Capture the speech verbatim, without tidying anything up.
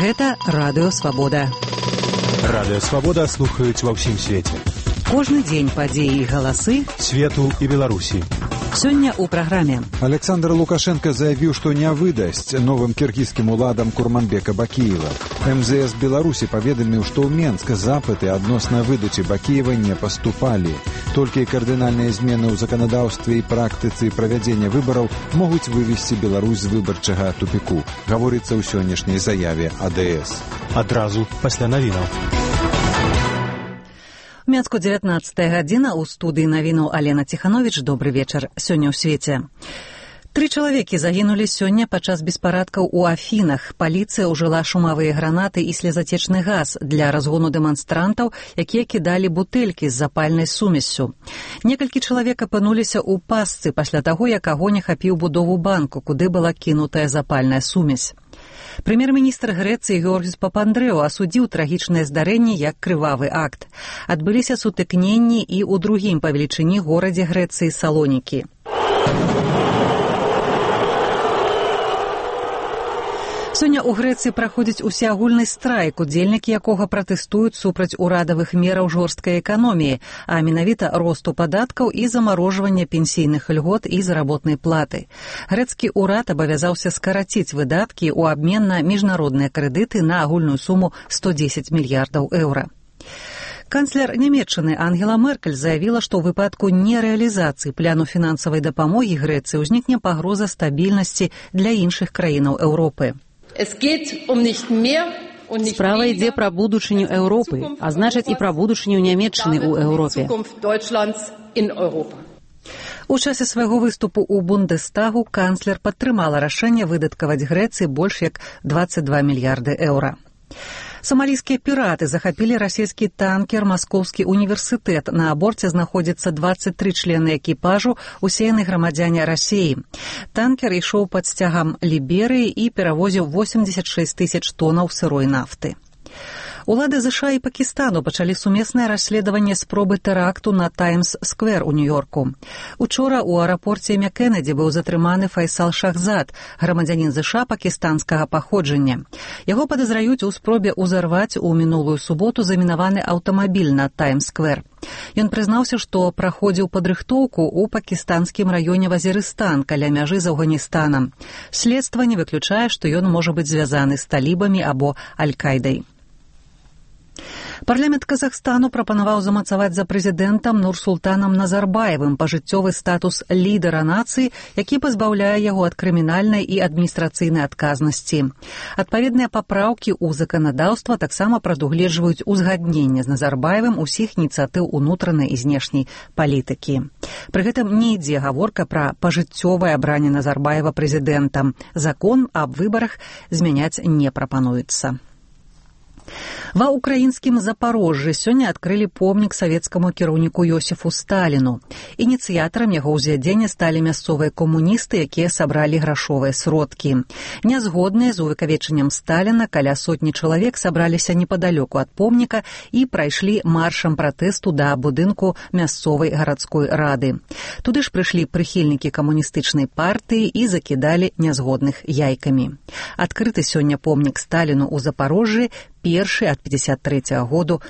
Гэта Радыё Свабода. Радыё Свабода слухаюць ва ўсім свеце. Кожны дзень падзеі і галасы свету і Беларусі. Сёння ў праграме. Александр Лукашенко заявіў, што не выдасць новым кіргізскім уладам Курманбека Бакіева. эм зэ эс Беларусі паведаміў, што ў Менск запыты адносна выдачы Бакіева не паступалі. Толькі кардынальныя змены ў заканадаўстве і практыцы правядзення выбараў могуць вывесці Беларусь з выбарчага тупіку, гаворыцца ў сённяшняй заяве а дэ эс. Адразу пасля навінаў. У Менску дзевятнаццатая гадзіна, у студыі навінаў Алена Ціхановіч. Добры вечар. Сёння ў свеце. Тры чалавекі загінулі сёння падчас беспарадкаў у Афінах. Паліцыя ўжыла шумавыя гранаты і слезатечны газ для разгону дэманстрантаў, якія кідалі бутэлькі з запальнай сумессю. Некалькі чалавек апынуліся ў пастцы пасля таго, як агонь ахапіў будову банку, куды была кінутая запальная сумесь. Прэм'ер-міністр Грэцыі Георгіс Папандрэу асудзіў трагічнае здарэнне як крывавы акт. Адбыліся сутыкненні і ў другім па велічыні горадзе Грэцыі Салонікі. Сёння ў Грэцыі праходзіць усеагульны страйк, удзельнікі якога пратэстуюць супраць урадавых мераў жорсткай эканоміі, а менавіта росту падаткаў і замарожвання пенсійных льгот і заработнай платы. Грэцкі ўрад абавязаўся скараціць выдаткі ў абмен на міжнародныя крэдыты на агульную суму сто дзесяць мільярдаў еўра. Канцлер Нямецчыны Ангела Меркель заявіла, што ў выпадку нерэалізацыі пляну фінансавай дапамогі Грэцыі ўзнікне пагроза стабільнасці для іншых краінаў Еўропы. Справа ідзе пра будучыню Еўропы, а значыць і пра будучыню Нямецчыны ў Еўропе. У часе свайго выступу ў Бундестагу канцлер падтрымала рашэнне выдаткаваць Грэцыі больш як дваццаць два мільярды еўра. Самалійскія піраты захапілі расійскі танкер «Маскоўскі універсітэт». На борце знаходзіцца дваццаць тры члены экіпажу, усе яны грамадзяне Расіі. Танкер ішоў пад сцягам Ліберыі і перавозіў восемдзесят шэсць тысяч тонаў сырой нафты. Улады ЗША і Пакістану пачалі сумеснае расследаванне спробы тэракту на Таймс-сквер у Нью-Йорку. Учора ў аэрапорце імя Кеннеді быў затрыманы Файсал Шахзад, грамадзянін ЗША пакістанскага паходжання. Яго падазраюць у спробе ўзарваць у мінулую суботу замінаваны аўтамабіль на Таймс-сквер. Ён прызнаўся, што праходзіў падрыхтоўку ў пакістанскім раёне Вазірыстан каля мяжы з Афганістанам. Следства не выключае, што ён можа быць звязаны з талібамі або Аль-Кайдай. Парламент Казахстану прапанаваў замацаваць за прэзідэнтам Нурсултанам Назарбаевым пажыццёвы статус лідара нацыі, які пазбаўляе яго ад крымінальнай і адміністрацыйнай адказнасці. Адпаведныя папраўкі ў заканадаўства таксама прадугледжваюць узгадненне з Назарбаевым усіх ініцыятыў унутранай і знешняй палітыкі. Пры гэтым не ідзе гаворка пра пажыццёвае абранне Назарбаева прэзідэнтам. Закон аб выбарах змяняць не прапануецца. Ва ўкраінскім Запарожжы сёння адкрылі помнік савецкаму кіраўніку Йосіфу Сталіну. Ініцыятарам яго ўзвядзення сталі мясцовыя камуністы, якія сабралі грашовыя сродкі. Нязгодныя з увекавечаннем Сталіна каля сотні чалавек сабраліся непадалёку ад помніка і прайшлі маршам пратэсту да будынку мясцовай гарадской рады. Туды ж прыйшлі прыхільнікі камуністычнай партыі і закідалі нязгодных яйкамі. Адкрыты сёння помнік Сталіну ў Запарожжы, першы ад пятьдесят трэцяга году